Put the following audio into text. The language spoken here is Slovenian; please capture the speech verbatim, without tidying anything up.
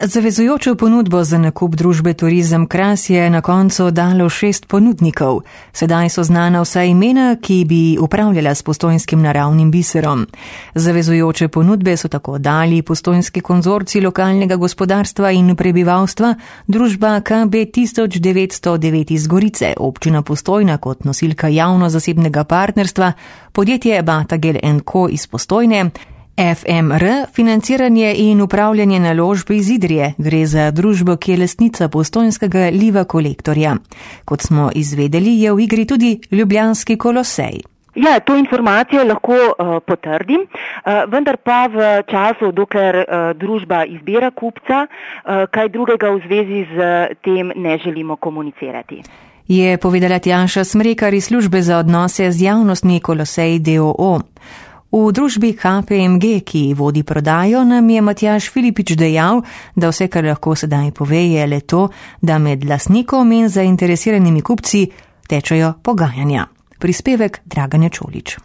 Zavezujočo ponudbo za nakup družbe Turizem Kras je na koncu dalo šest ponudnikov. Sedaj so znana vsa imena, ki bi upravljala s postojnskim naravnim biserom. Zavezujoče ponudbe so tako dali Postojnski konzorcij lokalnega gospodarstva in prebivalstva, družba K B tisoč devetsto devet iz Gorice, občina Postojna kot nosilka javno-zasebnega partnerstva, podjetje Batagel and Co iz Postojne, F M R, financiranje in upravljanje naložb iz Idrije, gre za družbo, ki je lastnica postojnskega Liva Kolektorja. Kot smo izvedeli, je v igri tudi Ljubljanski Kolosej. Ja, to informacijo lahko uh, potrdim, uh, vendar pa v času, dokler uh, družba izbira kupca, uh, kaj drugega v zvezi z tem ne želimo komunicirati. Je povedala Tjaša Smrekar iz službe za odnose z javnostmi Kolosej D O O. V družbi K P M G, ki vodi prodajo, nam je Matjaž Filipič dejal, da vse, kar lahko sedaj pove, je le to, da med lastnikom in zainteresiranimi kupci tečejo pogajanja. Prispevek Draganja Čolič.